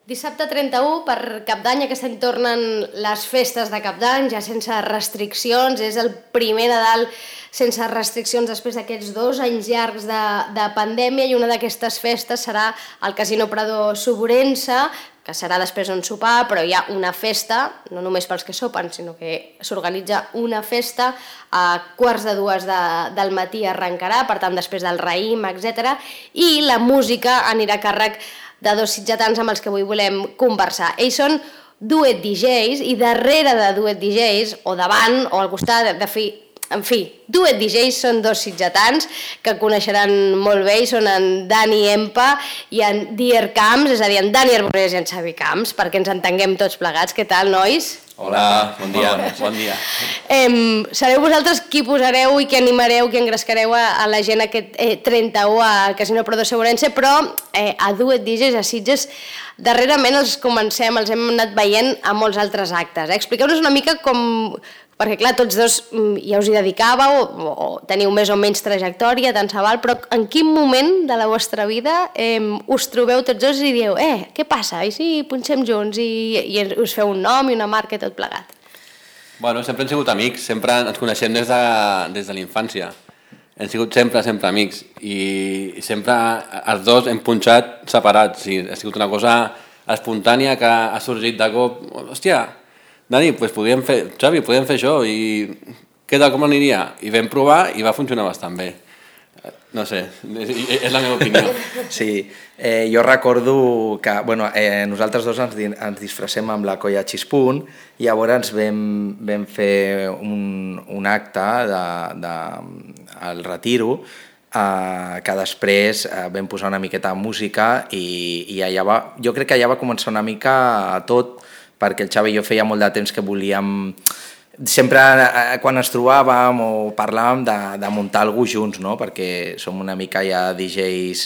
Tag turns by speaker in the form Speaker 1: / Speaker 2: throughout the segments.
Speaker 1: Dissabte 31, per Cap d'Any, aquest any tornen les festes de Cap d'Any, ja sense restriccions, és el primer Nadal sense restriccions després d'aquests 2 anys llargs de pandèmia, i una d'aquestes festes serà al Casino Prado Soborense, que serà després d'un sopar, però hi ha una festa, no només pels que sopen, sinó que s'organitza una festa a 1:45 del matí arrencarà, per tant després del raïm, etc. I la música anirà a càrrec de 2 sitgetans amb els que avui volem conversar. Ells són Duet DJs, i darrere de Duet DJs, o davant, o al costat, en fi, Duet DJs són 2 sitgetans que coneixeran molt bé, i són en Dani Empa i en Dier Camps, és a dir, en Dani Arbonés i en Xavi Camps, perquè ens entenguem tots plegats. Què tal, nois?
Speaker 2: Hola, bon dia. Bon dia.
Speaker 1: Sereu vosaltres qui posareu i qui animareu, qui engrescareu a la gent aquest 31 al Casino Prado Soborense, però a Duet DJs, a Sitges, darrerament els hem anat veient a molts altres actes. Expliqueu-nos una mica com... Perquè, clar, tots dos ja us hi dedicàveu, o teniu més o menys trajectòria, tant se val, però en quin moment de la vostra vida us trobeu tots dos i dieu què passa? I si punxem junts i us feu un nom i una marca i tot plegat?
Speaker 2: Bueno, sempre hem sigut amics, sempre ens coneixem des de la infància. Hem sigut sempre amics, i sempre els dos hem punxat separats. Ha sigut una cosa espontània que ha sorgit de cop. Hòstia, Dani, Xavi, podríem fer això, i què tal, com aniria? I vam provar i va funcionar bastant bé. No sé, és la meva opinió.
Speaker 3: Sí, jo recordo que nosaltres dos ens disfressem amb la colla Xispunt, i llavors vam fer un acte al Retiro, que després vam posar una miqueta de música, i jo crec que allà va començar una mica tot, perquè el Xavi i jo feia molt de temps que volíem, sempre quan ens trobàvem o parlàvem de muntar alguna cosa junts, no? Perquè som una mica ja DJs,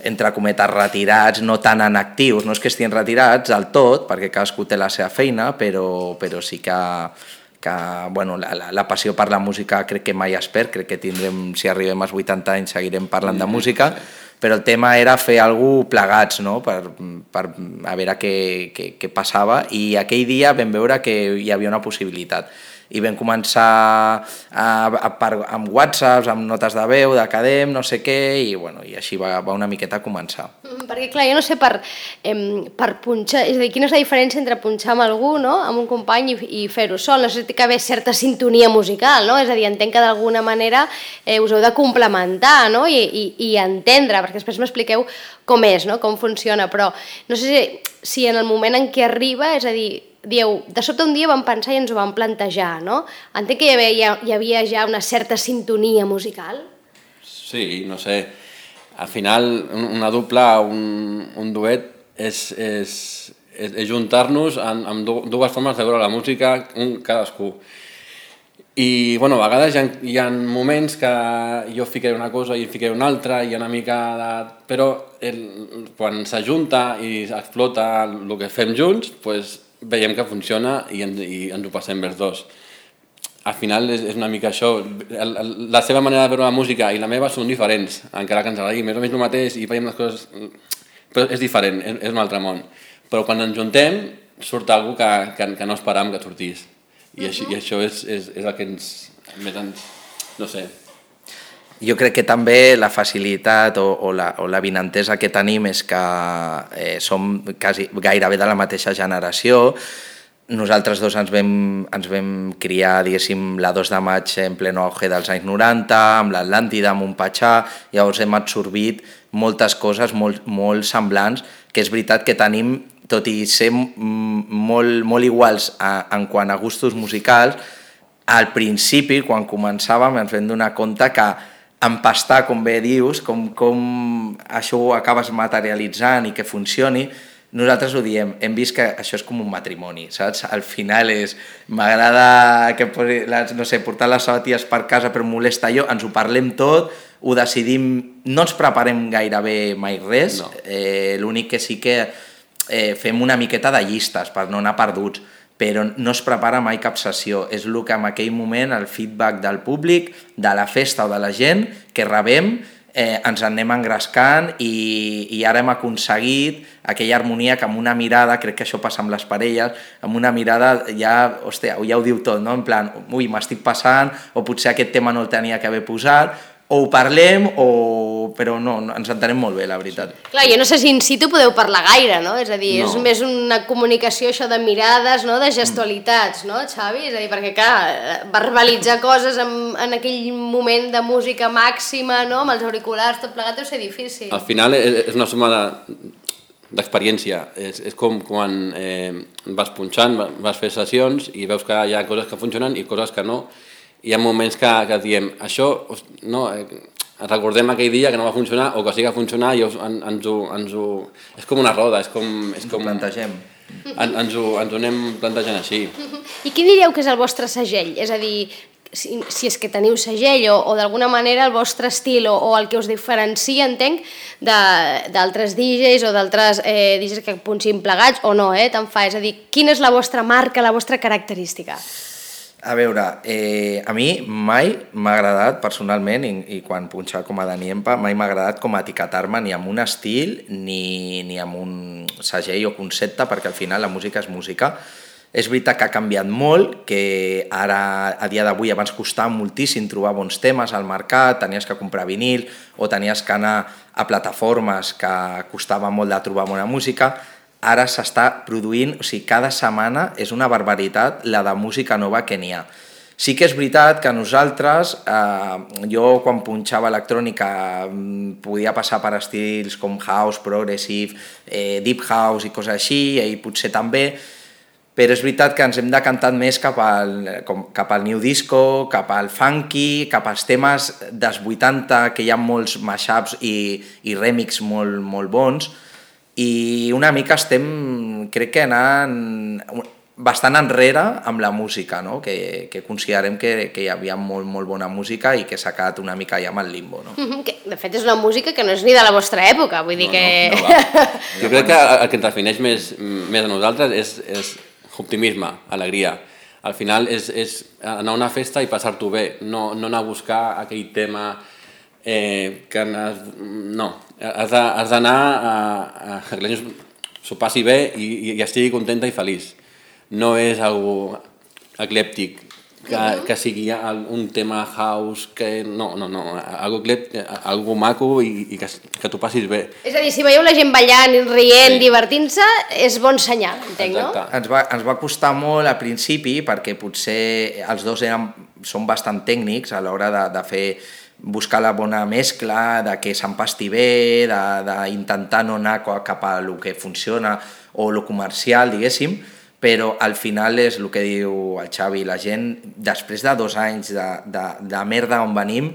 Speaker 3: entre cometes, retirats, no tan en actius, no és que estiguin retirats del tot, perquè cadascú té la seva feina, però sí que la passió per la música crec que mai es perd, crec que tindrem, si arribem als 80 anys seguirem parlant de música, però el tema era fer alguna cosa plegats, no? per a veure què passava, i aquell dia vam veure que hi havia una possibilitat. I vam començar amb whatsapps, amb notes de veu, de cadem, no sé què, i així va una miqueta a començar.
Speaker 1: Perquè, clar, jo no sé per punxar, és a dir, quina és la diferència entre punxar amb algú, no?, amb un company, i fer-ho sol. No sé si té que haver certa sintonia musical, no? És a dir, entenc que d'alguna manera us heu de complementar, no?, i entendre, perquè després m'expliqueu com és, no?, com funciona, però no sé si en el moment en què arriba, és a dir, dieu, de sobte un dia vam pensar i ens ho vam plantejar, no? Entenc que hi havia ja una certa sintonia musical?
Speaker 2: Sí, no sé. Al final, una dupla, un duet, és juntar-nos amb dues formes de veure la música, cadascú. I, a vegades hi ha moments que jo ficaré una cosa i ficaré una altra, i una mica de... Però quan s'ajunta i explota el que fem junts, doncs veiem que funciona i ens ho passem els dos. Al final és una mica això. La seva manera de veure la música i la meva són diferents, encara que ens agradi més o menys el mateix i veiem les coses... Però és diferent, és un altre món. Però quan ens juntem surt alguna cosa que no esperàvem que sortís. I això és el que més ens... no sé...
Speaker 3: Jo crec que també la facilitat o la vinentesa que tenim és que som gairebé de la mateixa generació. Nosaltres dos ens vam criar, diguéssim, la 2 de maig en pleno auge dels anys 90, amb l'Atlàntida, amb un Patxà, llavors hem absorbit moltes coses molt semblants, que és veritat que tenim, tot i ser molt iguals en quant a gustos musicals, al principi, quan començàvem, ens vam donar compte que empastar, com bé dius, com això ho acabes materialitzant i que funcioni, nosaltres ho diem, hem vist que això és com un matrimoni, saps? Al final m'agrada portar les sabatilles per casa però molesta jo, ens ho parlem tot, ho decidim, no ens preparem gairebé mai res, no. L'únic que sí que fem una miqueta de llistes per no anar perduts, però no es prepara mai cap sessió. És el que en aquell moment, el feedback del públic, de la festa o de la gent que rebem, ens en anem engrescant i ara hem aconseguit aquella harmonia que amb una mirada, crec que això passa amb les parelles, amb una mirada ja, hòstia, ja ho diu tot, no? En plan, ui, m'estic passant, o potser aquest tema no el tenia que haver posat, o ho parlem, però no, ens entenem molt bé, la veritat.
Speaker 1: Clar, jo no sé si in situ podeu parlar gaire, no? És a dir, és més una comunicació això de mirades, no? De gestualitats, no, Xavi? És a dir, perquè clar, verbalitzar coses en aquell moment de música màxima, no? Amb els auriculars, tot plegat deu ser difícil.
Speaker 2: Al final és una suma d'experiència. És com quan vas punxant, vas fer sessions i veus que hi ha coses que funcionen i coses que no. Hi ha moments que diem, això, no, recordem aquell dia que no va funcionar o que sí que va funcionar i ens ho... És com una roda, és com...
Speaker 3: Plantegem.
Speaker 2: Ens ho anem plantejant així.
Speaker 1: I quin diríeu que és el vostre segell? És a dir, si és que teniu segell o d'alguna manera el vostre estil o el que us diferencia, entenc, d'altres DJs o d'altres DJs que punxin plegats o no, tant fa. És a dir, quina és la vostra marca, la vostra característica?
Speaker 3: A veure, a mi mai m'ha agradat personalment, i quan punxava com a Dani Empa, mai m'ha agradat com a etiquetar-me ni amb un estil ni amb un segell o concepte, perquè al final la música és música. És veritat que ha canviat molt, que ara, a dia d'avui, abans costava moltíssim trobar bons temes al mercat, tenies que comprar vinil o tenies que anar a plataformes que costava molt de trobar bona música. Ara s'està produint, o sigui, cada setmana és una barbaritat la de música nova que n'hi ha. Sí que és veritat que nosaltres, jo quan punxava electrònica podia passar per estils com house, progressive, deep house i coses així, i potser també, però és veritat que ens hem decantat més cap al new disco, cap al funky, cap als temes dels 80, que hi ha molts mashups i remix molt bons, i una mica estem, crec que anant bastant enrere amb la música, no? Que considerem que hi havia molt bona música i que s'ha quedat una mica ja amb el limbo. No?
Speaker 1: De fet, és una música que no és ni de la vostra època, vull dir que...
Speaker 2: Jo crec que el que ens defineix més a nosaltres és optimisme, alegria. Al final és anar a una festa i passar-t'ho bé, no anar a buscar aquell tema que no, has d'anar a que la gent s'ho passi bé i estigui contenta i feliç. No és algo eclèptic, que sigui un tema house, que no, algo maco i que t'ho passis bé.
Speaker 1: És a dir, si veieu la gent ballant, rient, divertint-se, és bon senyal, entenc, no?
Speaker 3: Ens va costar molt al principi perquè potser els dos som bastant tècnics a l'hora de buscar la bona mescla, de que s'empasti bé, d'intentar no anar cap a lo que funciona o lo comercial, diguéssim, però al final és el que diu el Xavi, la gent, després de 2 anys de merda on venim,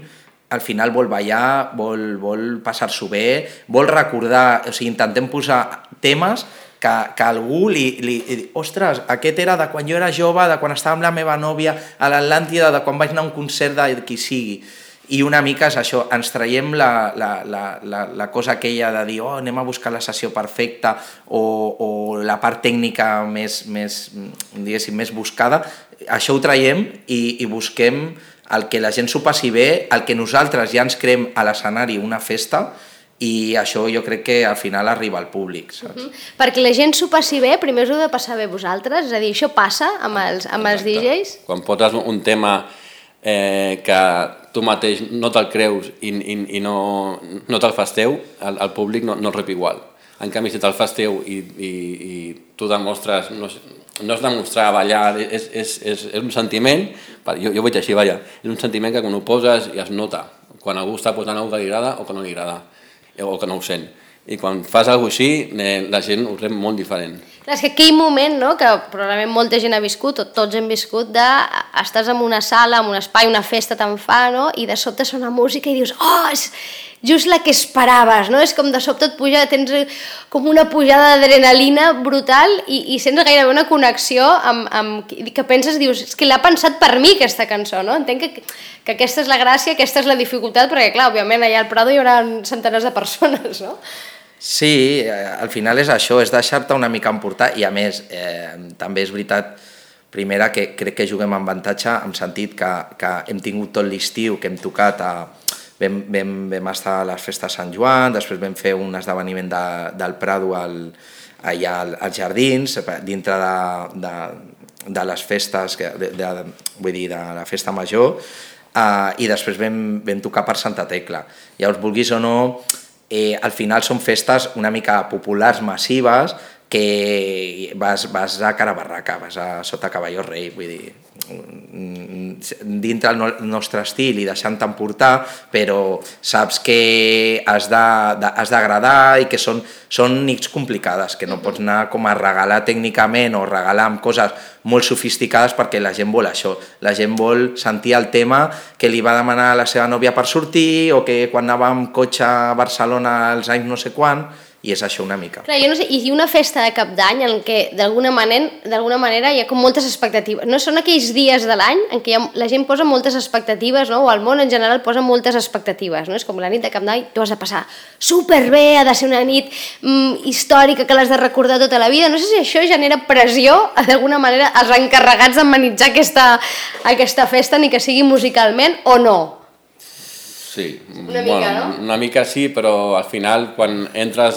Speaker 3: al final vol ballar, vol passar-s'ho bé, vol recordar, o sigui, intentem posar temes que algú li ostres, aquest era de quan jo era jove, de quan estava amb la meva nòvia a l'Atlàntida, de quan vaig anar a un concert de qui sigui. I una mica és això, ens traiem la cosa aquella de dir anem a buscar la sessió perfecta o la part tècnica més buscada, això ho traiem i busquem el que la gent s'ho passi bé, el que nosaltres ja ens creem a l'escenari una festa, i això jo crec que al final arriba al públic, saps?
Speaker 1: Perquè la gent s'ho passi bé, primer us ho heu de passar bé vosaltres, és a dir, això passa amb els DJs?
Speaker 2: Quan poses un tema que tu mateix no te'l creus i no te'l fas teu, el públic no el rep igual. En canvi, si te'l fas teu i tu demostres, no és demostrar ballar, és un sentiment, jo ho veig així, és un sentiment que quan ho poses ja es nota, quan algú està posant alguna que li agrada o que no li agrada, o que no ho sent. I quan fas alguna cosa així, la gent ho rep molt diferent.
Speaker 1: Clar, és que aquell moment, no?, que probablement molta gent ha viscut, o tots hem viscut, estàs en una sala, en un espai, una festa te'n fa, no?, i de sobte sona música i dius, oh, és just la que esperaves, no? És com de sobte et puja, tens com una pujada d'adrenalina brutal i sents gairebé una connexió que penses, dius, és que l'ha pensat per mi aquesta cançó, no? Entenc que aquesta és la gràcia, aquesta és la dificultat, perquè clar, òbviament allà al Prado hi haurà centenars de persones, no?
Speaker 3: Sí, al final és això, és deixar-te una mica emportar i a més també és veritat, primera, que crec que juguem amb avantatge en sentit que hem tingut tot l'estiu, que hem tocat a vam estar a les festes de Sant Joan, després vam fer un esdeveniment del Prado allà als jardins, dintre de les festes, vull dir, de la festa major, i després vam tocar per Santa Tecla. Llavors, vulguis o no, al final són festes una mica populars, massives, que vas a cara barraca, vas a sota cavalló rei, vull dir, dintre el nostre estil i deixant-te'n portar, però saps que has d'agradar i que són nits complicades, que no pots anar com a regalar tècnicament o regalar amb coses molt sofisticades perquè la gent vol això. La gent vol sentir el tema que li va demanar a la seva nòvia per sortir o que quan anava amb cotxe a Barcelona als anys no sé quan, i és això una mica.
Speaker 1: Clar, jo no sé, i una festa de Cap d'Any en què d'alguna manera hi ha com moltes expectatives. No són aquells dies de l'any en què la gent posa moltes expectatives, no? O el món en general posa moltes expectatives, no? És com la nit de Cap d'Any, tu has de passar superbé, ha de ser una nit històrica que l'has de recordar tota la vida. No sé si això genera pressió, d'alguna manera, als encarregats d'amenitzar aquesta festa, ni que sigui musicalment, o no?
Speaker 2: Sí, una mica sí, però al final quan entres,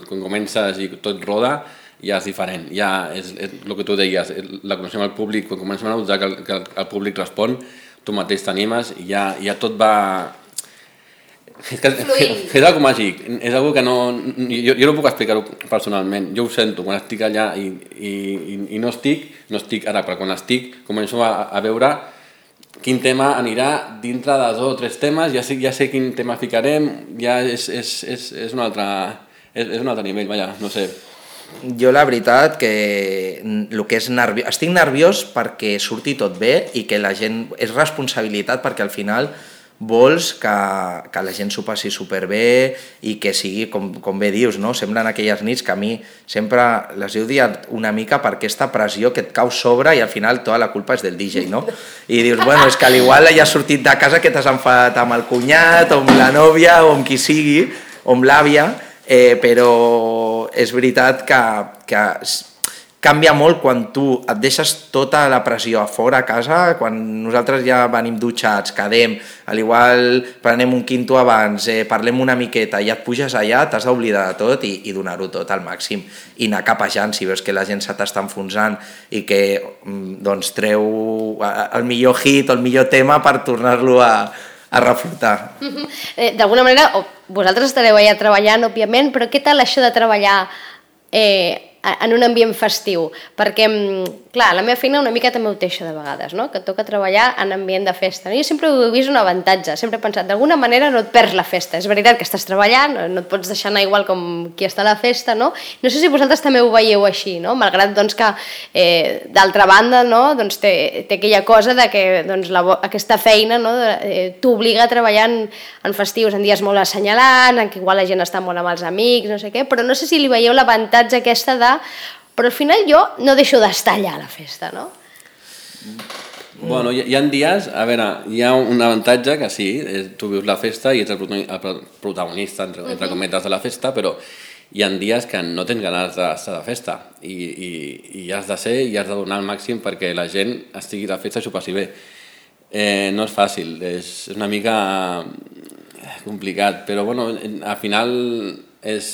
Speaker 2: quan comences i tot roda, ja és diferent. Ja és el que tu deies, la coneixem al públic, quan comencem a notar que el públic respon, tu mateix t'animes i ja tot va... És algo màgic, és algo que no... Jo no puc explicar-ho personalment, jo ho sento quan estic allà i no estic ara, però quan estic començo a veure quin tema anirà dintre de 2 o 3 temes, ja sé quin tema ficarem, ja és un altre nivell, vaja, no sé.
Speaker 3: Jo la veritat que el que és estic nerviós perquè surti tot bé i que la gent... És responsabilitat perquè al final vols que la gent s'ho passi superbé i que sigui, com bé dius, no? Semblen aquelles nits que a mi sempre les he odiat una mica per aquesta pressió que et cau sobre i al final tota la culpa és del DJ, no? I dius, bueno, és que al igual ja has sortit de casa que t'has enfadat amb el cunyat o amb la nòvia o amb qui sigui, o amb l'àvia, però és veritat que canvia molt quan tu et deixes tota la pressió a fora a casa, quan nosaltres ja venim dutxats, quedem, al igual prenem un quinto abans, parlem una miqueta i et puges allà, t'has d'oblidar de tot i donar-ho tot al màxim i anar capejant si veus que la gent se t'està enfonsant i que doncs treu el millor hit o el millor tema per tornar-lo a reflotar.
Speaker 1: D'alguna manera, vosaltres estareu allà treballant, òbviament, però què tal això de treballar en un ambient festiu? Perquè, clar, la meva feina una mica també ho té això de vegades, no? Que et toca treballar en ambient de festa. Jo sempre ho he vist un avantatge, sempre he pensat, d'alguna manera no et perds la festa. És veritat que estàs treballant, no et pots deixar anar igual com qui està a la festa, no? No sé si vosaltres també ho veieu així, no? Malgrat doncs, que, d'altra banda, no? Doncs té aquella cosa de que doncs, aquesta feina, no? T'obliga a treballar en festius, en dies molt assenyalants, en què igual la gent està molt amb els amics, no sé què, però no sé si li veieu l'avantatge aquesta de... Però al final jo no deixo d'estar allà a la festa, no?
Speaker 2: Bueno, hi ha dies, a veure, hi ha un avantatge que sí, tu vius la festa i ets el protagonista, entre cometes, de la festa, però hi ha dies que no tens ganes d'estar de festa i has de ser i has de donar el màxim perquè la gent estigui a la festa i s'ho passi bé. No és fàcil, és una mica complicat, però bueno, al final és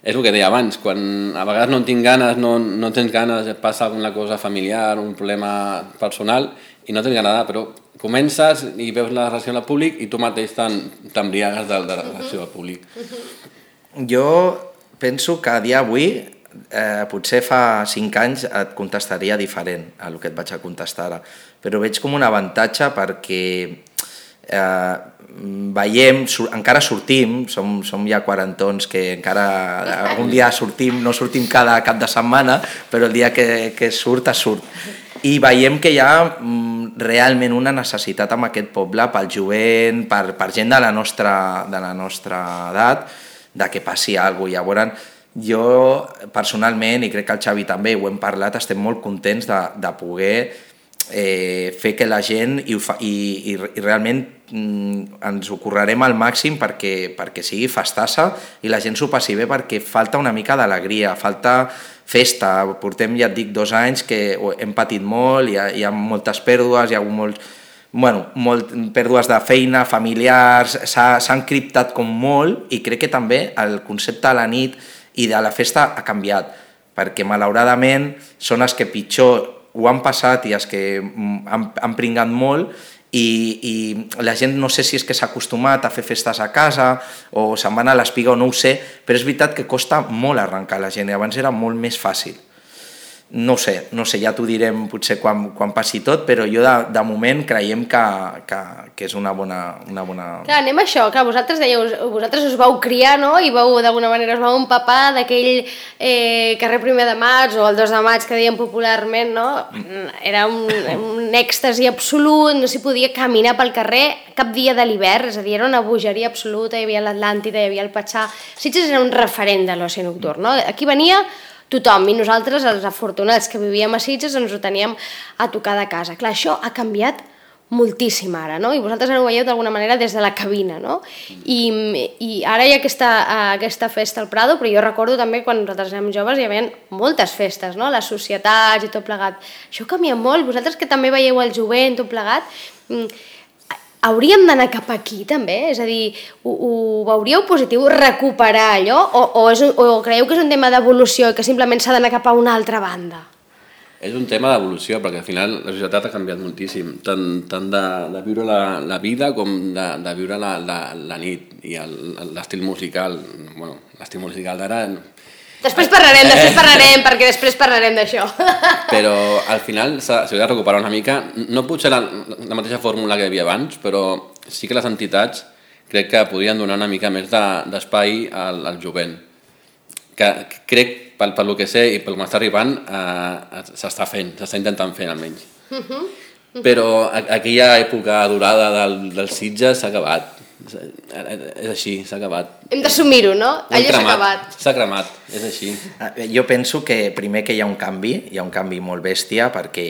Speaker 2: el que deia abans, quan a vegades no tinc ganes, no tens ganes, et passa alguna cosa familiar, un problema personal i no tens ganes, però comences i veus la reacció del públic i tu mateix t'embriagues de la reacció del públic.
Speaker 3: Jo penso que a dia d'avui, potser fa 5 anys et contestaria diferent a el que et vaig a contestar ara, però veig com un avantatge perquè veiem, encara sortim, som ja quarantons que encara algun dia sortim, no sortim cada cap de setmana, però el dia que surt, i veiem que hi ha realment una necessitat en aquest poble pel jovent, per gent de la nostra edat, de que passi alguna cosa. Llavors, jo personalment, i crec que el Xavi també ho hem parlat, estem molt contents de poder fer que la gent i realment ens ho currarem al màxim perquè sigui festassa i la gent s'ho passi bé, perquè falta una mica d'alegria, falta festa. Portem, ja et dic, 2 anys que hem patit molt, hi ha moltes pèrdues, hi ha hagut pèrdues de feina, familiars, s'ha encriptat com molt i crec que també el concepte de la nit i de la festa ha canviat, perquè malauradament són els que pitjor ho han passat i els que han pringat molt i la gent no sé si és que s'ha acostumat a fer festes a casa o se'n van a l'espiga o no ho sé, però és veritat que costa molt arrencar la gent i abans era molt més fàcil. No sé, ja t'ho direm potser quan passi tot, però jo de moment creiem que és una bona...
Speaker 1: Clar, anem a això, clar, vosaltres us vau criar, no?, i d'alguna manera us vau empapar d'aquell carrer 1 de maig o el 2 de maig que dèiem popularment, no? Era un èxtasi absolut, no s'hi podia caminar pel carrer cap dia de l'hivern, és a dir, era una bogeria absoluta, hi havia l'Atlàntida, hi havia el Patxar... Sitges era un referent de l'oci nocturn, no? Aquí venia tothom, i nosaltres, els afortunats que vivíem a Sitges, ens ho teníem a tocar de casa. Clar, això ha canviat moltíssim ara, no? I vosaltres ara ho veieu d'alguna manera des de la cabina, no? I ara hi ha aquesta festa al Prado, però jo recordo també quan nosaltres érem joves hi havia moltes festes, no? Les societats i tot plegat. Això canvia molt, vosaltres que també veieu el jovent, tot plegat, hauríem d'anar cap aquí també? És a dir, ho veuríeu positiu recuperar allò o creieu que és un tema d'evolució i que simplement s'ha d'anar cap a una altra banda?
Speaker 2: És un tema d'evolució, perquè al final la societat ha canviat moltíssim, tant de viure la vida com de viure la nit i l'estil musical. Bueno, l'estil musical d'ara...
Speaker 1: Després parlarem, perquè després parlarem d'això.
Speaker 2: Però al final s'hauria de recuperar una mica, no potser la mateixa fórmula que hi havia abans, però sí que les entitats crec que podrien donar una mica més d'espai al jovent. Que crec, pel que sé i pel que m'està arribant, s'està intentant fer almenys. Però aquella època dorada del Sitges s'ha acabat. És així, s'ha acabat.
Speaker 1: Hem d'assumir-ho, no? Allò s'ha acabat.
Speaker 2: S'ha cremat, és així.
Speaker 3: Jo penso que primer que hi ha un canvi molt bèstia, perquè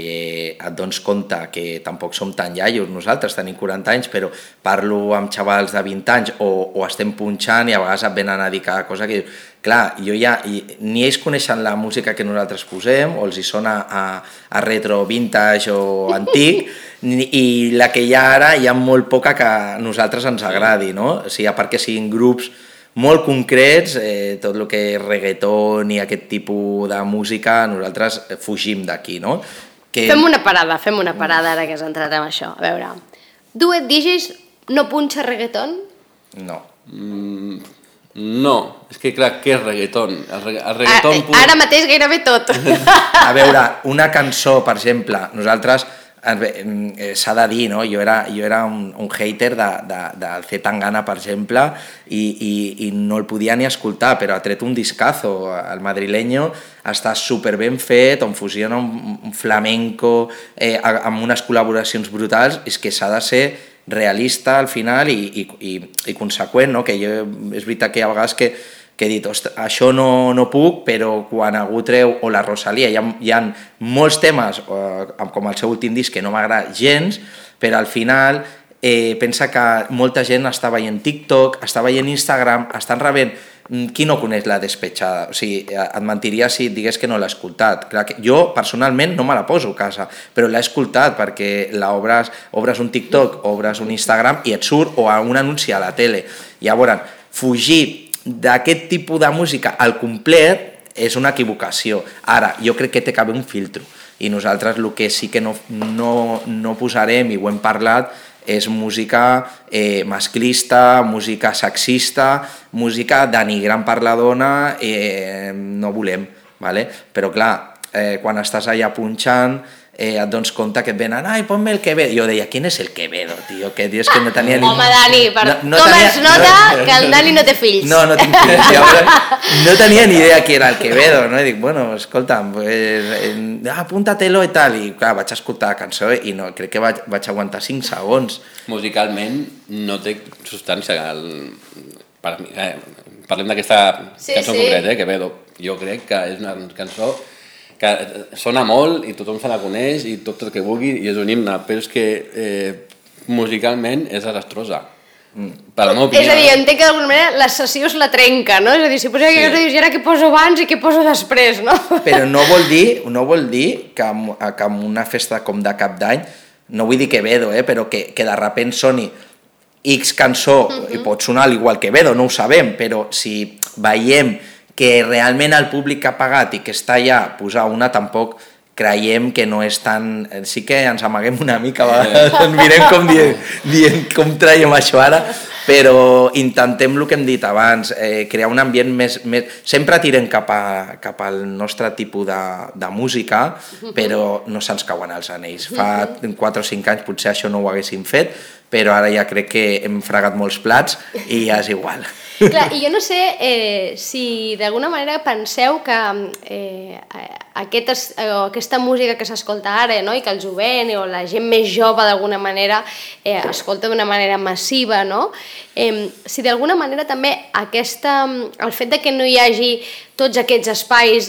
Speaker 3: et dones compte que tampoc som tan iaios, nosaltres tenim 40 anys, però parlo amb xavals de 20 anys o estem punxant i a vegades et venen a dir cada cosa que dius, clar, ni ells coneixen la música que nosaltres posem, o els hi sona a retro, vintage o antic, i la que hi ha ara hi ha molt poca que a nosaltres ens agradi, no? O sigui, a part que siguin grups molt concrets, tot el que és reggaeton i aquest tipus de música, nosaltres fugim d'aquí, no?
Speaker 1: Fem una parada ara que has entrat en això. A veure, Duet DJs no punxa reggaeton?
Speaker 3: No.
Speaker 2: No, és que clar, què és reggaeton? El reggaeton
Speaker 1: ara mateix gairebé tot.
Speaker 3: A veure, una cançó, per exemple, nosaltres s'ha de dir, no? Jo era un hater del C. Tangana, per exemple, i no el podia ni escoltar, però ha tret un discazo. El madrileño està superben fet, on fusiona un flamenco amb unes col·laboracions brutals, és que s'ha de ser realista al final i conseqüent, no? Que jo, és veritat que hi ha vegades que he dit, això no puc, però quan algú treu, o la Rosalía, hi ha molts temes, com el seu últim disc, que no m'agrada gens, però al final pensa que molta gent està veient TikTok, està veient Instagram, estan rebent... Qui no coneix La Despechada? O sigui, et mentiria si et digués que no l'he escoltat. Clar que jo, personalment, no me la poso a casa, però l'he escoltat perquè obres un TikTok, obres un Instagram i et surt, o un anunci a la tele. Llavors, fugir d'aquest tipus de música al complet és una equivocació. Ara, jo crec que té que haver un filtro, i nosaltres el que sí que no posarem, i ho hem parlat, és música masclista, música sexista, música denigrant per la dona, no volem, ¿vale? Però clar, quan estàs allà punxant, et dones compte que et venen, ai, ponme el Quevedo. Jo deia, ¿quién es el Quevedo, tío? Que dius que no tenia ni...
Speaker 1: Home, Dani, com es nota que el Dani no té fills?
Speaker 3: No tinc fills. No tenia ni idea qui era el Quevedo, no? I dic, bueno, escolta'm, apúntatelo i tal. I clar, vaig escoltar la cançó i no, crec que vaig aguantar 5 segons.
Speaker 2: Musicalment no té substància. Parlem d'aquesta cançó concreta, Quevedo. Jo crec que és una cançó que sona molt i tothom se la coneix i tot el que vulgui i és un himne, però és que musicalment és desastrosa. Per la meva opinió.
Speaker 1: És a dir, entenc que d'alguna manera la sessió es la trenca, no? És a dir, si posa aquesta cosa, dius, i ara què poso abans i què poso després, no?
Speaker 3: Però no vol dir que en una festa com de Cap d'Any no vull dir Quevedo, però que de repent soni X cançó, i pot sonar igual que Quevedo, no ho sabem, però si veiem que realment el públic que ha pagat i que està allà posar una, tampoc creiem que no és tan... Sí que ens amaguem una mica, a vegades ens mirem com dient com traiem això ara, però intentem el que hem dit abans, crear un ambient més... Sempre tirem cap al nostre tipus de música, però no se'ns cauen els anells. Fa 4 o 5 anys potser això no ho haguéssim fet, però ara ja crec que hem fregat molts plats i ja és igual.
Speaker 1: Clar, i jo no sé si d'alguna manera penseu que aquesta música que s'escolta ara, no? I que el jovent o la gent més jove d'alguna manera escolta d'una manera massiva, no? Si d'alguna manera també el fet de que no hi hagi tots aquests espais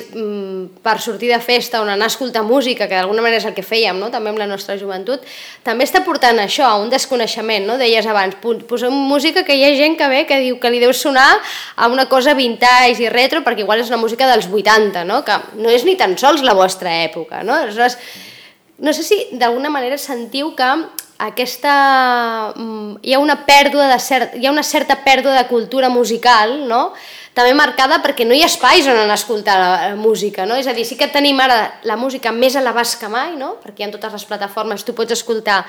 Speaker 1: per sortir de festa on anar a escoltar música, que d'alguna manera és el que fèiem, no? També amb la nostra joventut, també està portant això, a un desconeixement, no? Deies abans, posem música que hi ha gent que ve que diu que li deu sonar a una cosa vintage i retro, perquè igual és una música dels 80, no? Que no és ni tan sols la vostra època, no? Aleshores, no sé si d'alguna manera sentiu que hi ha una certa pèrdua de cultura musical, no? També marcada perquè no hi ha espais on anar a escoltar la música, no? És a dir, sí que tenim ara la música més a l'abast que mai, no? Perquè en totes les plataformes tu pots escoltar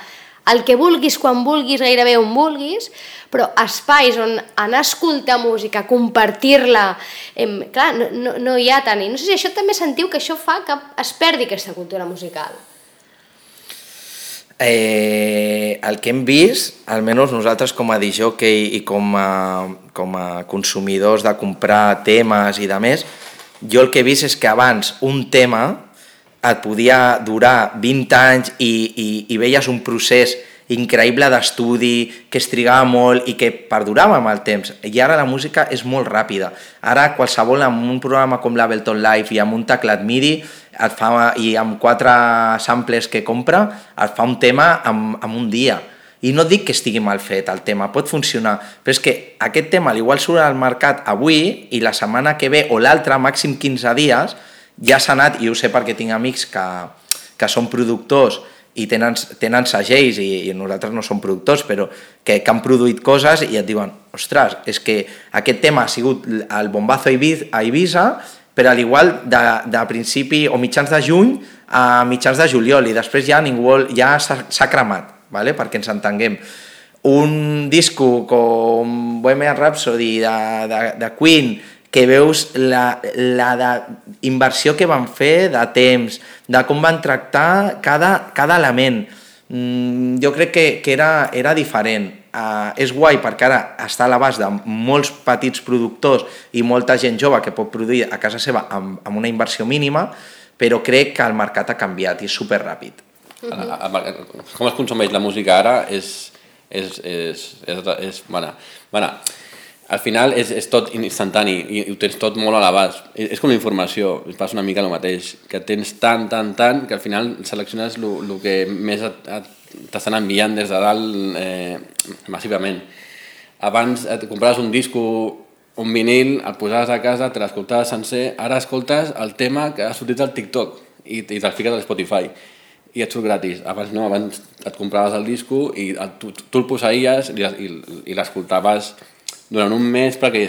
Speaker 1: el que vulguis, quan vulguis, gairebé on vulguis, però espais on anar a escoltar música, compartir-la, clar, no hi ha tant. I no sé si això també sentiu que això fa que es perdi aquesta cultura musical.
Speaker 3: El que hem vist, almenys nosaltres com a disjockey i com a consumidors de comprar temes i de més, jo el que he vist és que abans un tema et podia durar 20 anys i veies un procés increïble d'estudi, que es trigava molt i que perdurava amb el temps. I ara la música és molt ràpida. Ara qualsevol amb un programa com l'Ableton Live i amb un teclat MIDI i amb 4 samples que compra, et fa un tema en un dia. I no dic que estigui mal fet el tema, pot funcionar, però és que aquest tema igual surt al mercat avui i la setmana que ve o l'altra, màxim 15 dies, ja s'ha anat, i ho sé perquè tinc amics que són productors i tenen segells i nosaltres no som productors, però que han produït coses i et diuen, ostres, és que aquest tema ha sigut el bombazo a Ibiza, però al igual de principi o mitjans de juny a mitjans de juliol i després ja s'ha cremat, ¿vale? Perquè ens entenguem. Un disco com Bohemian Rhapsody de Queen, que veus la inversió que van fer de temps, de com van tractar cada element. Jo crec que era diferent. És guai perquè ara està a l'abast de molts petits productors i molta gent jove que pot produir a casa seva amb una inversió mínima, però crec que el mercat ha canviat i és superràpid.
Speaker 2: Com es consumeix la música ara al final és tot instantani i ho tens tot molt a l'abast. És com la informació, es passa una mica el mateix, que tens tant, que al final selecciones el que més t'estan enviant des de dalt massivament. Abans et compraves un disco, un vinil, el posaves a casa, te l'escoltaves sencer, ara escoltes el tema que ha sortit al TikTok i te'l fiques a Spotify i et surt gratis. Abans no, abans et compraves el disco i tu el posaries i l'escoltaves durant un mes perquè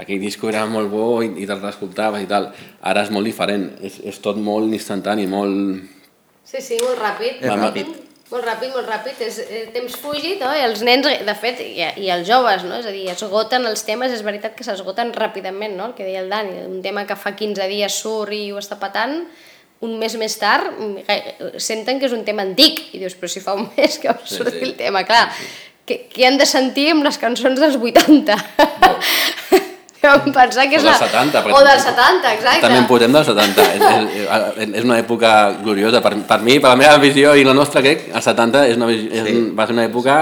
Speaker 2: aquell disco era molt bo i te'l escoltaves i tal. Ara és molt diferent, és tot molt instantani, molt...
Speaker 1: Sí, molt ràpid. Molt ràpid, és temps fugit, no? I els nens, de fet, i els joves, no? És a dir, esgoten els temes, és veritat que s'esgoten ràpidament, no? El que deia el Dani, un tema que fa 15 dies surt i ho està patant, un mes més tard senten que és un tema antic, i dius, però si fa un mes que va sortir el tema, clar, què han de sentir amb les cançons dels 80? Vam pensar que és
Speaker 2: o dels 70,
Speaker 1: o dels 70, exacte.
Speaker 2: També en podem dels 70. És una època gloriosa. Per mi, per la meva visió i la nostra, crec, els 70 va ser una època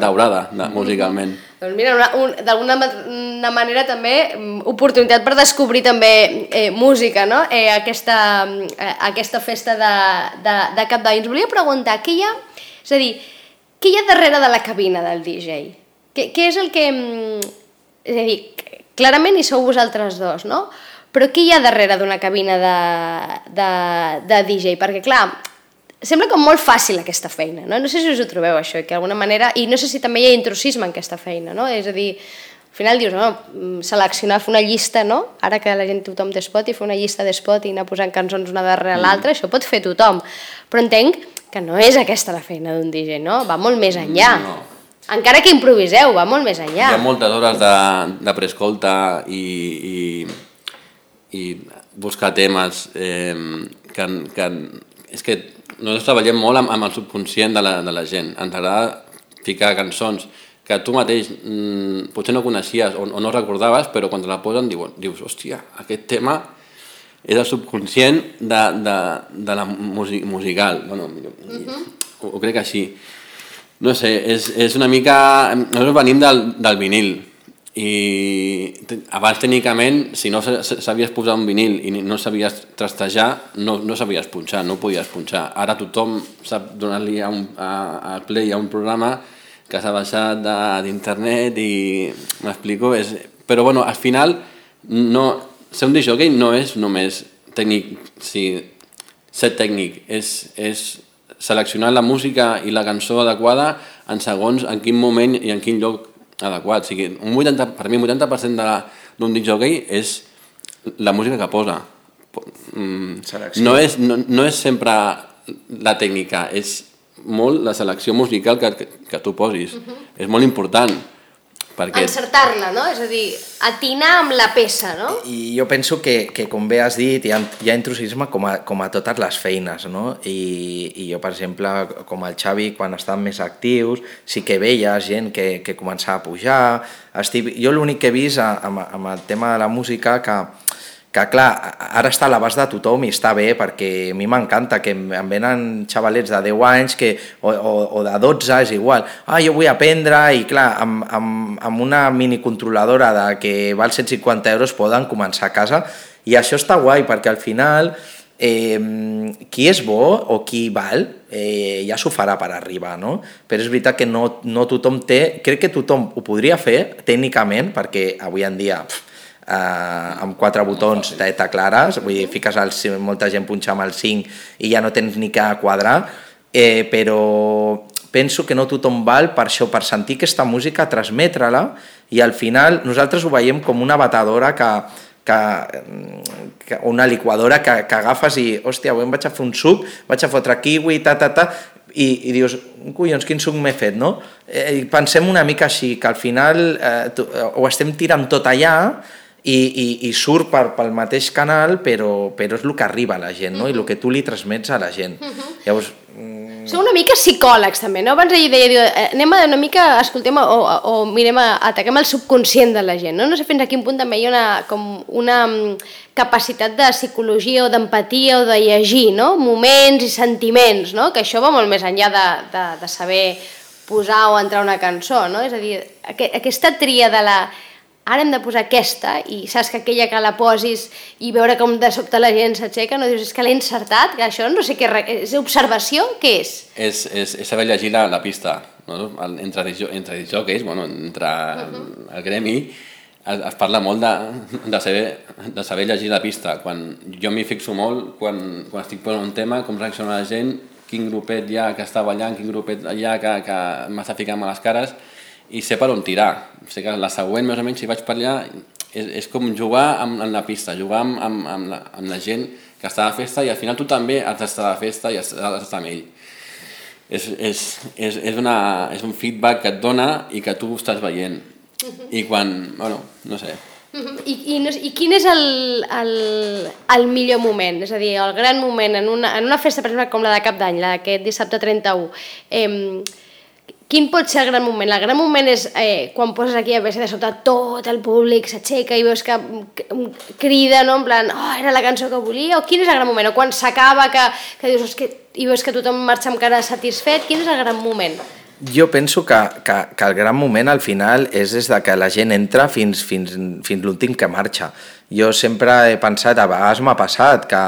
Speaker 2: daurada, musicalment.
Speaker 1: Doncs mira, d'alguna manera també oportunitat per descobrir també música, no? Aquesta festa de Cap d'Any. Ens volia preguntar, què hi ha darrere de la cabina del DJ? Què és el que... És a dir, clarament hi sou vosaltres dos, no? Però què hi ha darrere d'una cabina de DJ? Perquè, clar, sembla com molt fàcil aquesta feina, no? No sé si us ho trobeu, això, que d'alguna manera... I no sé si també hi ha intrusisme en aquesta feina, no? És a dir, al final dius, no, seleccionar, fer una llista, no? Ara que la gent tothom té Spotify, fer una llista de Spotify i anar posant cançons una darrere l'altra, això pot fer tothom. Però entenc que no és aquesta la feina d'un DJ, no? Va molt més enllà. No. Encara que improviseu, va molt més enllà.
Speaker 2: Hi ha moltes hores de preescolta i buscar temes que és que nosaltres treballem molt amb el subconscient de la gent. Ens agrada ficar cançons que tu mateix potser no coneixies o no recordaves, però quan te la posen dius, hòstia, aquest tema és el subconscient de la musical. Bueno, ho crec així. No sé, és una mica... Nosaltres venim del vinil i abans tècnicament, si no sabies posar un vinil i no sabies trastejar, no sabies punxar, no podies punxar. Ara tothom sap donar-li a play a un programa que s'ha baixat d'internet i m'explico. Però bueno, al final ser un discjockey no és només tècnic, ser tècnic, és seleccionar la música i la cançó adequada en segons en quin moment i en quin lloc adequat. O sigui, per mi un 80% d'un discjockey és la música que posa. No és sempre la tècnica, és molt la selecció musical que tu posis. És molt important.
Speaker 1: Encertar-la, no? És a dir, atinar amb la peça, no?
Speaker 3: I jo penso que com bé has dit, hi ha intrusisme com a totes les feines, no? I jo, per exemple, com el Xavi, quan estàvem més actius, sí que veia gent que començava a pujar. Jo l'únic que he vist amb el tema de la música que clar, ara està a l'abast de tothom i està bé, perquè a mi m'encanta que em venen xavalets de 10 anys o de 12, és igual. Jo vull aprendre i clar, amb una minicontroladora que val 150 euros poden començar a casa i això està guai, perquè al final qui és bo o qui val ja s'ho farà per arribar, no? Però és veritat que no tothom té... Crec que tothom ho podria fer tècnicament, perquè avui en dia... amb 4 botons de teclares, vull dir, fiques molta gent punxa amb el 5 i ja no tens ni que quadrar, però penso que no tothom val per això, per sentir aquesta música, transmetre-la, i al final nosaltres ho veiem com una batedora una liquadora que agafes i, hòstia, avui em vaig a fer un suc, vaig a fotre kiwi, i dius, collons, quin suc m'he fet, no? Pensem una mica així, que al final ho estem tirant tot allà i surt pel mateix canal, però és el que arriba a la gent, no? I el que tu li transmets a la gent. Llavors...
Speaker 1: Sou una mica psicòlegs, també, no? Abans ella deia, anem una mica, escoltem, o mirem, ataquem el subconscient de la gent, no? No sé fins a quin punt també hi ha una capacitat de psicologia o d'empatia o de llegir, no? Moments i sentiments, no? Que això va molt més enllà de saber posar o entrar una cançó, no? És a dir, aquesta tria de la... Ara hem de posar aquesta i saps que aquella que la posis i veure com de sobte la gent s'aixeca, no dius, és que l'he encertat, que això no sé què... És observació? Què és?
Speaker 2: És saber llegir la pista, no? Entre discjockeys, entre el gremi, es parla molt de saber llegir la pista. Jo m'hi fixo molt quan estic posant un tema, com reacciona la gent, quin grupet hi ha que està ballant, quin grupet hi ha que m'està ficant a les cares, i sé per on tirar. Sé que la següent, més o menys, si vaig per allà, és com jugar amb la pista, jugar amb la gent que està a la festa, i al final tu també has d'estar a la festa i has d'estar amb ell. És un feedback que et dona i que tu estàs veient. I quan, no sé...
Speaker 1: I quin és el millor moment? És a dir, el gran moment en una festa, per exemple, com la de Cap d'Any, aquest dissabte 31, quin pot ser el gran moment? El gran moment és quan poses aquí a veure de sota tot el públic s'aixeca i veus que crida, no? En plan, era la cançó que volia, o quin és el gran moment? O quan s'acaba que dius, i veus que tothom marxa amb cara satisfet, quin és el gran moment?
Speaker 3: Jo penso que el gran moment al final és des que la gent entra fins l'últim que marxa. Jo sempre he pensat, a vegades m'ha passat, que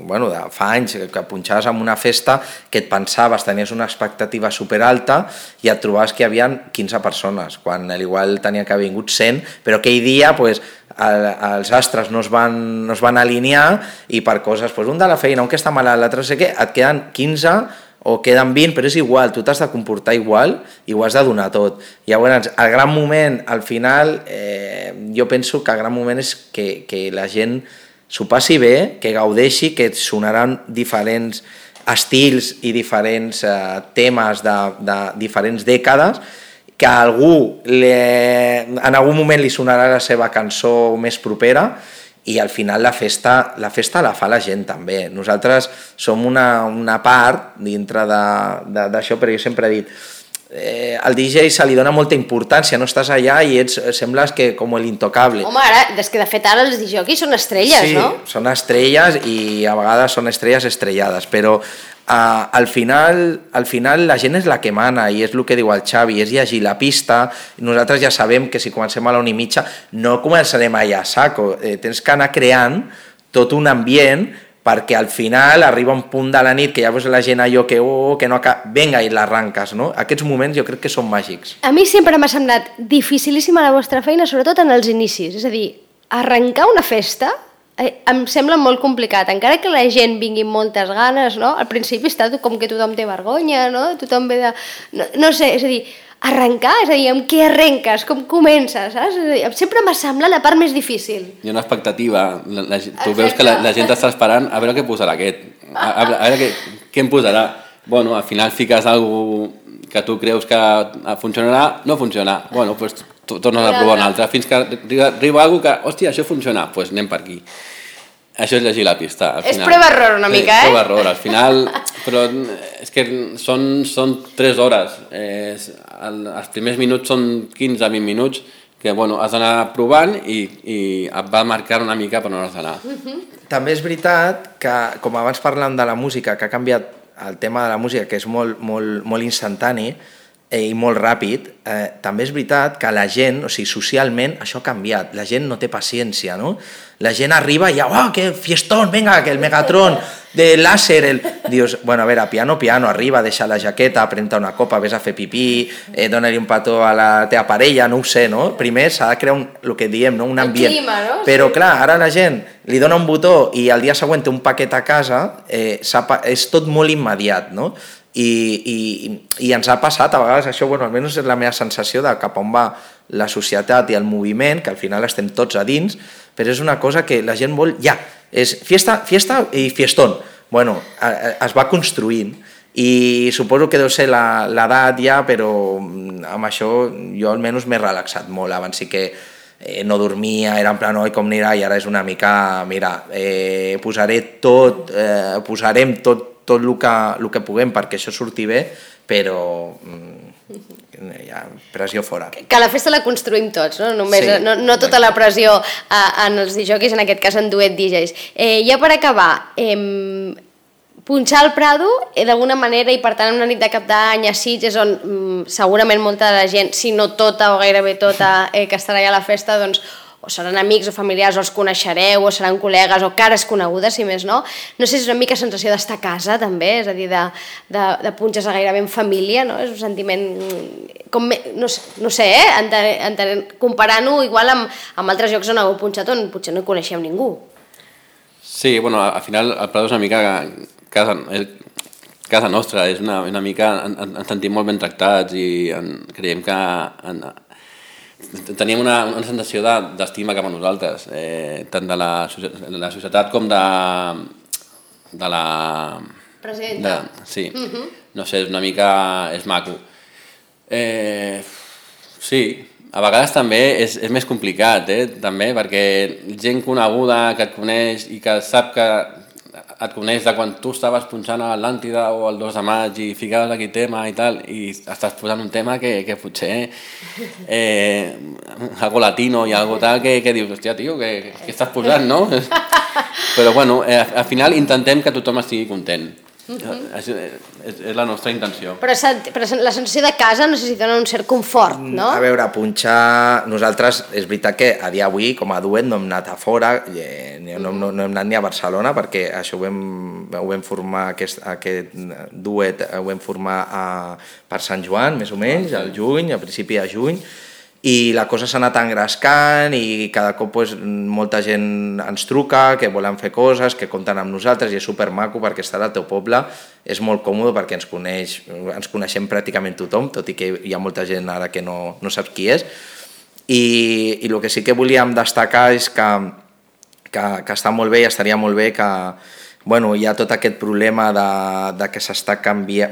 Speaker 3: bueno, de fa anys que punxaves en una festa que et pensaves, tenies una expectativa superalta i et trobaves que hi havia 15 persones, quan igual tenia que haver vingut 100, però aquell dia pues, els astres no es van alinear i per coses, pues, un de la feina, un que està malalt, l'altre no sé què, et queden 15 o queden 20, però és igual, tu t'has de comportar igual i ho has de donar tot. Llavors, el gran moment, al final, jo penso que el gran moment és que la gent s'ho passi bé, que gaudeixi, que et sonaran diferents estils i diferents temes de diferents dècades, que a algú en algun moment li sonarà la seva cançó més propera, i al final la festa la fa la gent també. Nosaltres som una part dintre d'això, però jo sempre he dit, al DJ se li dona molta importància, no estàs allà i sembles que com l'intocable.
Speaker 1: Home, ara, és que de fet ara els DJs són estrelles, no?
Speaker 3: Sí, són estrelles i a vegades són estrelles estrellades, però al final la gent és la que mana i és el que diu el Xavi, és llegir la pista. Nosaltres ja sabem que si comencem a la 1:30 no començarem allà a saco, tens que anar creant tot un ambient perquè al final arriba un punt de la nit que ja veus la gent allò que no acaba, venga i l'arranques, no? Aquests moments jo crec que són màgics.
Speaker 1: A mi sempre m'ha semblat dificilíssima la vostra feina, sobretot en els inicis, és a dir, arrencar una festa em sembla molt complicat, encara que la gent vingui amb moltes ganes, no? Al principi està com que tothom té vergonya, no? Tothom ve de... No sé, és a dir, arrencar, és a dir, amb què arrenques, com comences, saps? És a dir, sempre m'ha semblat la part més difícil.
Speaker 2: Hi ha una expectativa, tu veus que la gent està esperant a veure què posarà aquest, a veure què em posarà. Bueno, al final fiques alguna cosa que tu creus que funcionarà, no funciona. Bueno, doncs tornes a provar una altra, fins que arriba alguna cosa que, hòstia, això funciona, doncs anem per aquí. Això és llegir la pista.
Speaker 1: És prova-error una mica,
Speaker 2: eh? Prova-error, al final, però és que són 3 hores. Els primers minuts són 15-20 minuts que bueno, has d'anar provant i et va marcar una mica per on has d'anar.
Speaker 3: També és veritat que, com abans parlàvem de la música, que ha canviat el tema de la música, que és molt instantani i molt ràpid, també és veritat que la gent, o sigui, socialment, això ha canviat. La gent no té paciència, no? La gent arriba i ja, oh, que fiestón, venga, que el Megatron, de láser, dius, bueno, a veure, piano, arriba, deixa la jaqueta, pren-te una copa, ves a fer pipí, dona-li un petó a la teva parella, no ho sé, no? Primer s'ha de crear el que diem, no? Un ambient.
Speaker 1: El clima, no?
Speaker 3: Però clar, ara la gent li dona un botó i al dia següent té un paquet a casa, és tot molt immediat, no? I ens ha passat a vegades això, bueno, almenys és la meva sensació de cap on va la societat i el moviment, que al final estem tots a dins, però és una cosa que la gent vol ja, és fiesta i fiestón. Bueno, es va construint i suposo que deu ser l'edat ja, però amb això jo almenys m'he relaxat molt. Abans sí que no dormia, era en plan, oi, com anirà, i ara és una mica, mira, posarem tot el que puguem perquè això surti bé, però ja, pressió fora.
Speaker 1: Que la festa la construïm tots, no? Només,
Speaker 3: sí,
Speaker 1: no tota la pressió en els DJs, en aquest cas en duet DJs. Ja per acabar, punxar al Prado, d'alguna manera, i per tant en una nit de cap d'any a Sitges, on segurament molta de la gent, si no tota o gairebé tota, que estarà allà a la festa, doncs o seran amics o familiars, o els coneixereu, o seran col·legues, o cares conegudes, si més no. No sé si és una mica sensació d'estar a casa, també, és a dir, de punxes gairebé en família, no? És un sentiment, com, no sé, comparant-ho igual amb altres llocs on heu punxat, on potser no coneixeu ningú.
Speaker 2: Sí, bueno, al final el Prado és una mica casa nostra, és una mica, ens sentim molt ben tractats i creiem que teníem una sensació d'estima cap a nosaltres, tant de la societat com de la...
Speaker 1: Presenta.
Speaker 2: Sí, no sé, és una mica... és maco. Sí, a vegades també és més complicat, també, perquè gent coneguda que et coneix i que sap que et coneix de quan tu estaves punxant a l'Atlàntida o el 2 de maig i ficaves aquí tema i tal, i estàs posant un tema que potser algo latino i algo tal que dius, hòstia, tio, què estàs posant, no? Però bueno, al final intentem que tothom estigui content És la nostra intenció.
Speaker 1: Però la sensació de casa no sé si dona un cert confort, no?
Speaker 3: A veure, punxar... Nosaltres, és veritat que a dia d'avui, com a duet, no hem anat a fora, no hem anat ni a Barcelona, perquè això ho vam formar, aquest duet ho vam formar per Sant Joan, més o menys, al juny, a principi de juny, i la cosa s'ha anat engrescant i cada cop molta gent ens truca, que volen fer coses, que compten amb nosaltres i és supermaco perquè estar al teu poble és molt còmode perquè ens coneixem pràcticament tothom, tot i que hi ha molta gent ara que no saps qui és. I el que sí que volíem destacar és que està molt bé i estaria molt bé que hi ha tot aquest problema de que s'està canviant,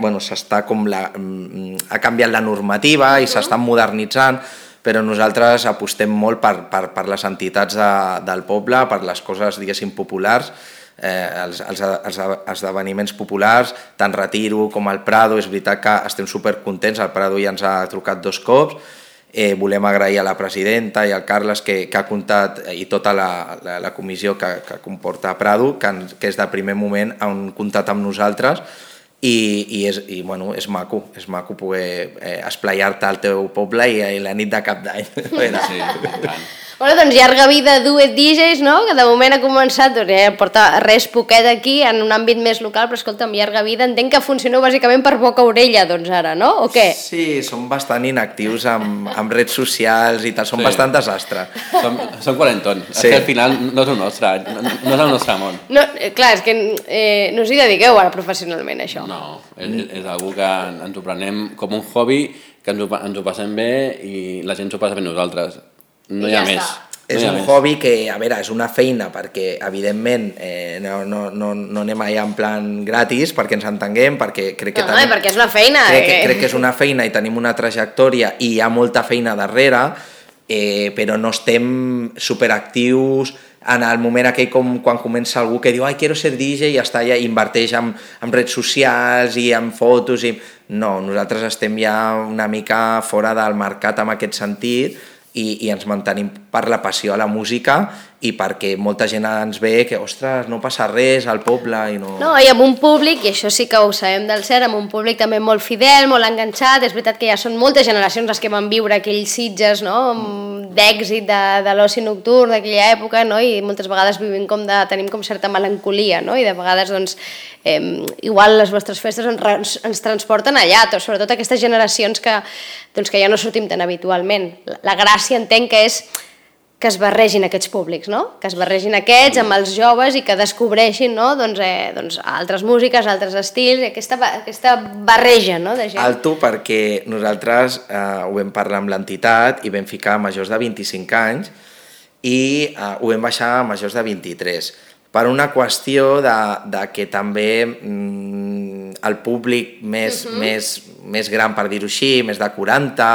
Speaker 3: ha canviat la normativa i s'està modernitzant, però nosaltres apostem molt per les entitats del poble, per les coses, diguéssim, populars, els esdeveniments populars, tant Retiro com el Prado. És veritat que estem supercontents, el Prado ja ens ha trucat 2 cops, volem agrair a la presidenta i al Carles que ha comptat, i tota la comissió que comporta Prado, que és de primer moment han comptat amb nosaltres, i és maco poder esplaiar-te al teu poble i la nit de Cap d'Any.
Speaker 2: Sí, tant.
Speaker 1: Bueno, doncs llarga vida Duet DJs, no? Que de moment ha començat, porta res poquet aquí, en un àmbit més local, però escolta'm, llarga vida, entenc que funcioneu bàsicament per boca-orella, doncs ara, no? O què?
Speaker 3: Sí, som bastant inactius amb redes socials i tal, som bastant desastre.
Speaker 2: Som quarantons, és que al final no és el nostre, no és el nostre món.
Speaker 1: No, clar, és que no us hi dediqueu ara professionalment, això.
Speaker 2: No, és algo que ens ho prenem com un hobby, que ens ho passem bé i la gent s'ho passa bé nosaltres. No hi ha més.
Speaker 3: És un hobby que, a veure, és una feina perquè, evidentment, no anem allà en plan gratis perquè ens entenguem, perquè crec que
Speaker 1: perquè és una feina.
Speaker 3: Crec que és una feina i tenim una trajectòria i hi ha molta feina darrere, però no estem superactius en el moment aquell quan comença algú que diu quiero ser DJ i està allà i inverteix en redes socials i en fotos. No, nosaltres estem ja una mica fora del mercat en aquest sentit, i ens mantenim per la passió a la música i perquè molta gent ens ve que, ostres, no passa res al poble i no...
Speaker 1: No, i amb un públic, i això sí que ho sabem del cert, amb un públic també molt fidel, molt enganxat. És veritat que ja són moltes generacions les que van viure aquells Sitges, no?, d'èxit de l'oci nocturn d'aquella època, no?, i moltes vegades tenim com certa melancolia, no?, i de vegades, doncs, igual les vostres festes ens transporten allà, sobretot aquestes generacions que ja no sortim tan habitualment. La gràcia entenc que és que es barregin aquests públics, no? Que es barregin aquests amb els joves i que descobreixin, no?, doncs altres músiques, altres estils, aquesta barreja, no?, de gent.
Speaker 3: Alto, perquè nosaltres ho vam parlar amb l'entitat i vam ficar majors de 25 anys i ho vam baixar a majors de 23, per una qüestió de que també el públic més gran, per dir-ho així, més de 40,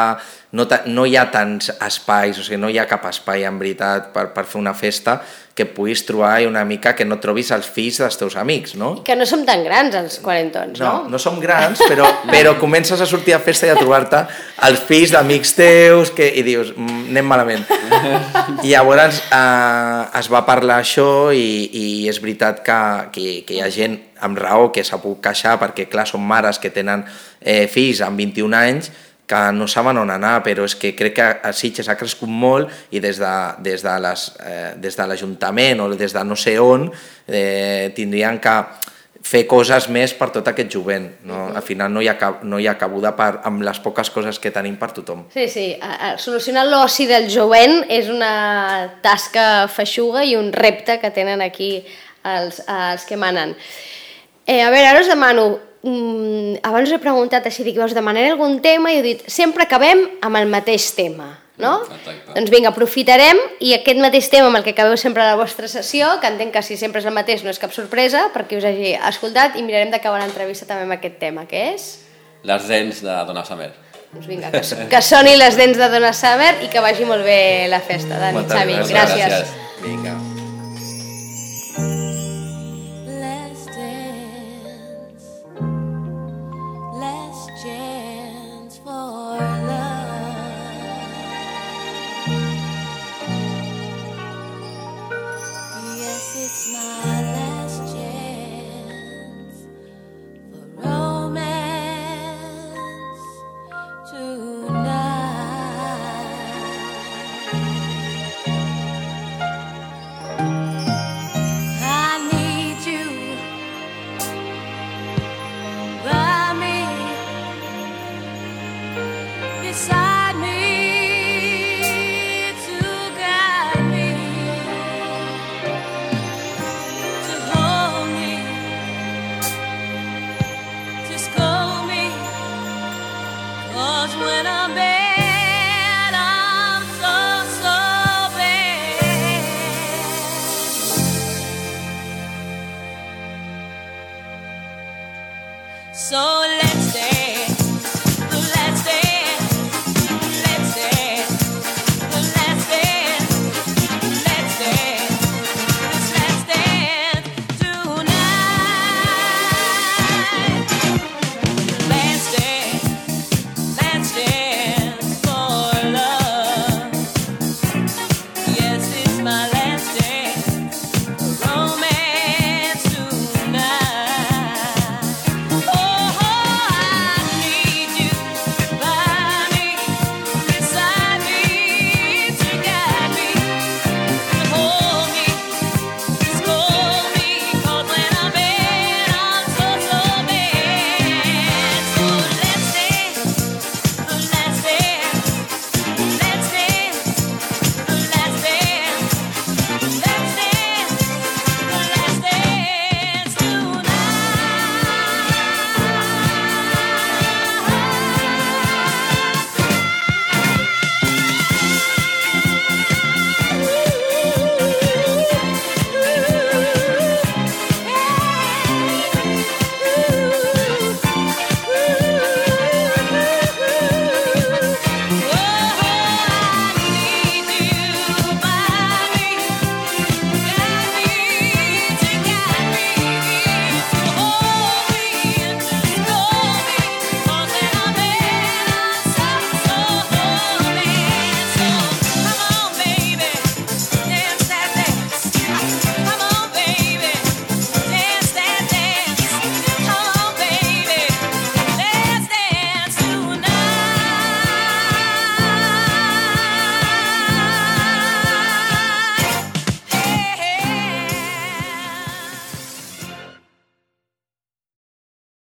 Speaker 3: no hi ha tants espais, o sigui, no hi ha cap espai en veritat per fer una festa que puguis trobar una mica que no trobis els fills dels teus amics, no?
Speaker 1: Que no som tan grans els quarantons, no?
Speaker 3: No som grans, però comences a sortir a festa i a trobar-te els fills d'amics teus i dius, anem malament. I llavors es va parlar això i és veritat que hi ha gent amb raó que s'ha pogut queixar perquè, clar, són mares que tenen fills amb 21 anys que no saben on anar, però és que crec que a Sitges ha crescut molt i des de l'Ajuntament o des de no sé on tindrien que fer coses més per tot aquest jovent. Al final no hi ha cabuda amb les poques coses que tenim per tothom.
Speaker 1: Sí, solucionar l'oci del jovent és una tasca feixuga i un repte que tenen aquí els que manen. A veure, ara us demano, abans us he preguntat així, dic, us demanaré algun tema i heu dit, sempre acabem amb el mateix tema, no?
Speaker 2: Exacte.
Speaker 1: Doncs vinga, aprofitarem i aquest mateix tema amb el que acabeu sempre a la vostra sessió, que entenc que si sempre és el mateix no és cap sorpresa perquè us hagi escoltat, i mirarem d'acabar l'entrevista també amb aquest tema, que és?
Speaker 2: Les dents de Donna Summer.
Speaker 1: Doncs vinga, que soni les dents de Donna Summer i que vagi molt bé la festa. Dani, Xavi, gràcies.
Speaker 3: Vinga.
Speaker 4: So let